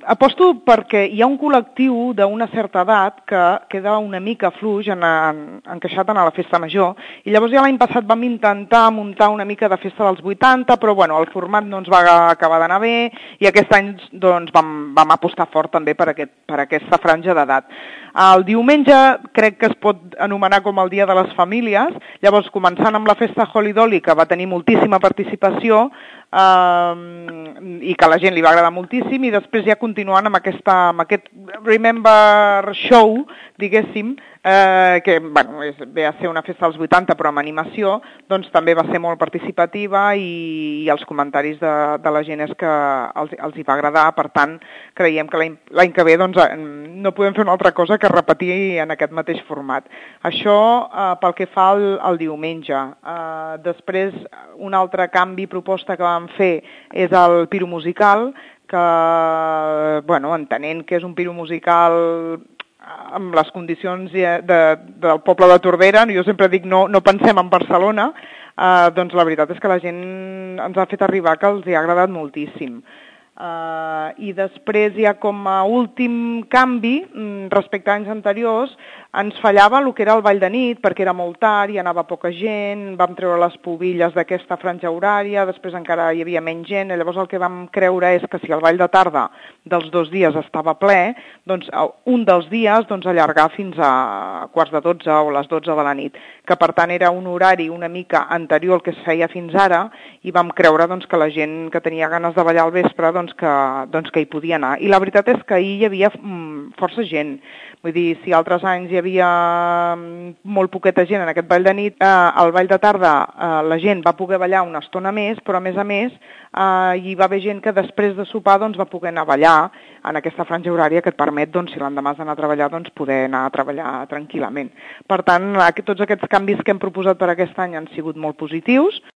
aposto perquè hi ha un col·lectiu d'una certa edat que queda una mica fluix encaixat en la festa major, i llavors ja l'any passat vam intentar muntar una mica de festa dels 80, però bueno, el format no ens va acabar d'anar bé, i aquest any doncs, vam apostar fort també per aquesta franja d'edat. El diumenge crec que es pot anomenar com el Dia de les Famílies, llavors començant amb la festa Holly Dolly, que va tenir moltíssima participació, i que a la gent li va agradar moltíssim, i després ja continuant amb aquest Remember Show, diguéssim, que bueno, ve a ser una festa dels 80 però amb animació, doncs també va ser molt participativa, i els comentaris de la gent és que els hi va agradar. Per tant, creiem que l'any que ve doncs, no podem fer una altra cosa que repetir en aquest mateix format. Això pel que fa al diumenge. Després, un altre canvi, proposta que vam fer és el piro musical, que, bueno, entenent que és un piro musical amb les condicions del poble de Tordera, jo sempre dic no pensem en Barcelona, doncs la veritat és que la gent ens ha fet arribar que els hi ha agradat moltíssim. I després ja com a últim canvi, respecte a anys anteriors, ens fallava el que era el ball de nit, perquè era molt tard, hi anava poca gent, vam treure les pobilles d'aquesta franja horària, després encara hi havia menys gent, i llavors el que vam creure és que si el ball de tarda dels 2 dies estava ple, doncs un dels dies allargar fins a quarts de 12 o les 12 de la nit, que per tant era un horari una mica anterior al que es feia fins ara, i vam creure que la gent que tenia ganes de ballar al vespre que hi podia anar. I la veritat és que ahir hi havia força gent. Vull dir, si altres anys hi havia molt poqueta gent en aquest ball de nit, al ball de tarda la gent va poder ballar una estona més, però a més hi va haver gent que després de sopar va poder anar a ballar en aquesta franja horària que et permet, si l'endemà has d'anar a treballar, poder anar a treballar tranquil·lament. Per tant, tots aquests canvis que hem proposat per aquest any han sigut molt positius.